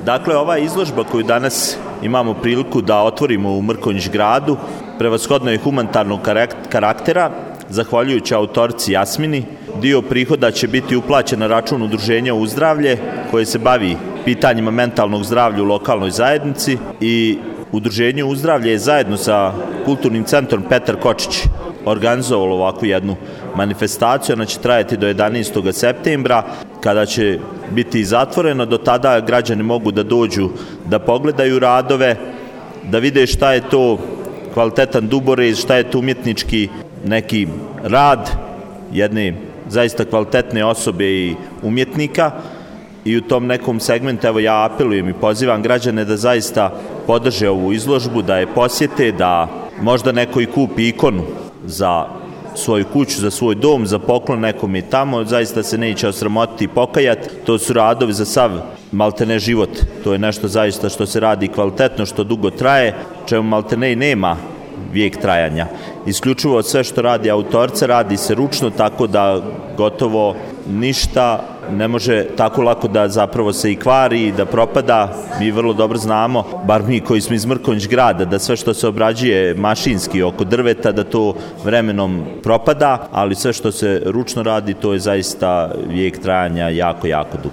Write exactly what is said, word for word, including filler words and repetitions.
Dakle, ova izložba koju danas imamo priliku da otvorimo u Mrkonjić gradu, prevashodno je humanitarnog karaktera, zahvaljujući autorici Jasmini. Dio prihoda će biti uplaćen na račun Udruženja Uzdravlje, koje se bavi pitanjima mentalnog zdravlja u lokalnoj zajednici, i Udruženje Uzdravlje je zajedno sa Kulturnim centrom Petar Kočić organizovalo ovakvu jednu manifestaciju. Ona će trajati do jedanaestog septembra, kada će biti zatvoreno. Do tada građani mogu da dođu da pogledaju radove, da vide šta je to kvalitetan duborez, šta je to umjetnički neki rad jedne zaista kvalitetne osobe i umjetnika. I u tom nekom segmentu, evo, ja apelujem i pozivam građane da zaista podrže ovu izložbu, da je posjete, da možda neko i kupi ikonu za svoju kuću, za svoj dom, za poklon nekom i tamo. Zaista se neće osramotiti i pokajati. To su radovi za sav maltene život. To je nešto zaista što se radi kvalitetno, što dugo traje, čemu maltene i nema vijek trajanja. Isključivo sve što radi autorca radi se ručno, tako da gotovo ništa ne može tako lako da zapravo se i kvari i da propada. Mi vrlo dobro znamo, bar mi koji smo iz Mrkonjić grada, da sve što se obrađuje mašinski oko drveta, da to vremenom propada, ali sve što se ručno radi, to je zaista vijek trajanja jako, jako dug.